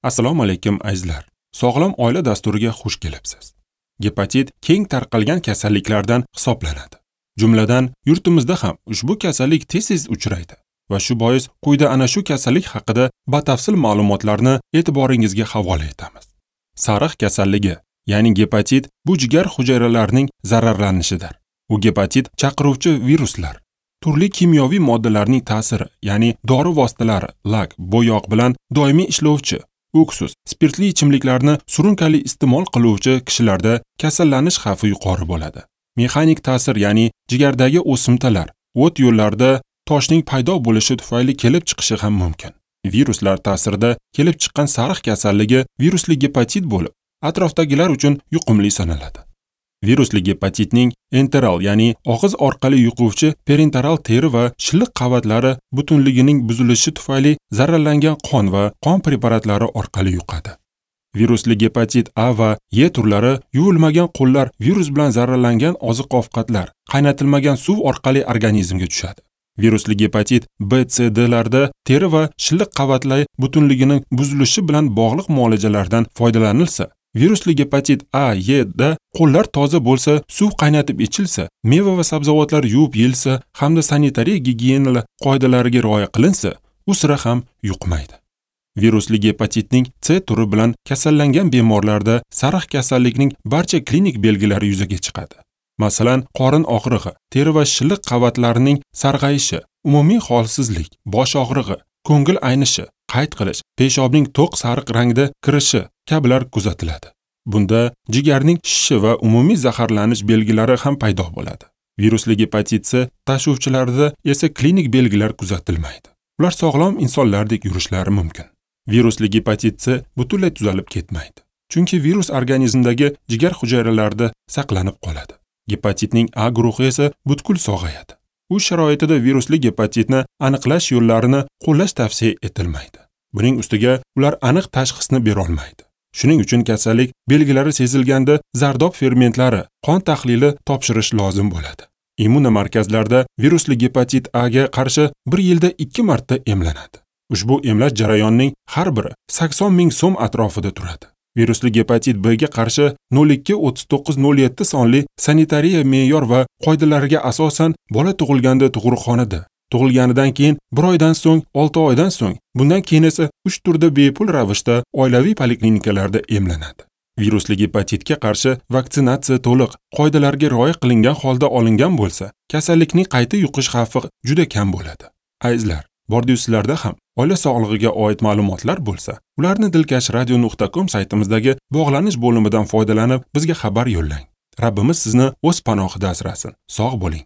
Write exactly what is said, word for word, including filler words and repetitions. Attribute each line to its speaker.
Speaker 1: Assalomu alaykum azizlar. Sog'lom oila dasturiga xush kelibsiz. Gepatit keng tarqalgan kasalliklardan hisoblanadi. Jumladan, yurtimizda ham ushbu kasallik tez-tez uchraydi va shu bois quyida ana shu kasallik haqida batafsil ma'lumotlarni e'tiboringizga havola etamiz. Sariq kasalligi, ya'ni gepatit bu jigar hujayralarining zararlanishidir. U gepatit chaqiruvchi viruslar, turli kimyoviy moddalarning ta'siri, ya'ni dori vositalari, lak, bo'yoq bilan doimiy ishlovchi, uksus, spirtli ichimliklarni surunkali iste'mol qiluvchi kishilarda kasallanish xavfi yuqori bo'ladi. Mexanik ta'sir, ya'ni jigardagi o'simtalar, o't yo'llarida toshning paydo bo'lishi tufayli kelib chiqishi ham mumkin. Viruslar ta'sirida kelib chiqqan sariq kasalligi virusli gepatit bo'lib, atrofdagilar uchun yuqumli sanaladi. Virusli gepatitning enteral, ya'ni og'iz orqali yuquvchi perenteral teri va shilliq qavatlari butunligining buzilishi tufayli zararlangan qon va qon preparatlari orqali yuqadi. Virusli gepatit A va E turlari yuvilmagan qo'llar, virus bilan zararlangan oziq-ovqatlar, qaynatilmagan suv orqali organizmga tushadi. Virusli gepatit B, C, D larda teri va shilliq qavatlari butunligining buzilishi bilan bog'liq muolajalardan foydalanilsa, virusli gepatit A, E da qo'llar toza bo'lsa, suv qaynatib ichilsa, meva va sabzavotlar yuvib yeyilsa hamda sanitariya gigiyena qoidalariga rioya qilinsa, u sira ham yuqmaydi. Virusli gepatitning C turi bilan kasallangan bemorlarda sariq kasallikning barcha klinik belgilari yuzaga chiqadi. Masalan, qorin og'rig'i, teri va shilliq qavatlarining sarg'ayishi, umumiy holsizlik, bosh og'rig'i, ko'ngil aynishi, qayt qilish, peshobning to'q sariq rangda kirishi kabilar kuzatiladi. Bunda jigarning shishishi va umumiy zaharlanish belgilari ham paydo bo'ladi. Virusli gepatit C tashuvchilarida esa klinik belgilar kuzatilmaydi. Ular sog'lom insonlardek yurishlari mumkin. Virusli gepatit C butunlay tuzalib ketmaydi, chunki virus organizmdagi jigar hujayralarida saqlanib qoladi. Gepatitning A guruhi esa butkul sog'ayadi. U sharoitida virusli gepatitni aniqlash yo'llarini qo'llash tavsiya etilmaydi. Buning ustiga ular aniq tashxisni bera olmaydi. Shuning uchun kasallik belgilari sezilganda zardob fermentlari, qon tahlili topshirish lozim bo'ladi. Immunomarkazlarda virusli gepatit A ga qarshi bir yilda ikki marta emlanadi. Ushbu emlash jarayonining har biri sakson ming so'm atrofida turadi. Virusli gepatit B ga qarshi nol ikki o'ttiz to'qqiz nol yetti sonli sanitariya me'yor va qoidalariga asosan bola tug'ilganda tug'ruqxonada, tug'ilganidan keyin bir oydan so'ng, olti oydan so'ng, bundan keyin esa uch turda bepul ravishda oilaviy poliklinikalarda emlanadi. Virusli gepatitga qarshi vaksinatsiya to'liq qoidalarga rioya qilingan holda olingan bo'lsa, kasallikning qayta yuqish xavfi juda kam bo'ladi. Azizlar, bordi-yu sizlarda ham oila sog'lig'iga oid ma'lumotlar bo'lsa, ularni dilkash radio nuqta com saytimizdagi bog'lanish bo'limidan foydalanib bizga xabar yo'llang. Rabbimiz sizni o'z panohida asrasin. Sog' bo'ling.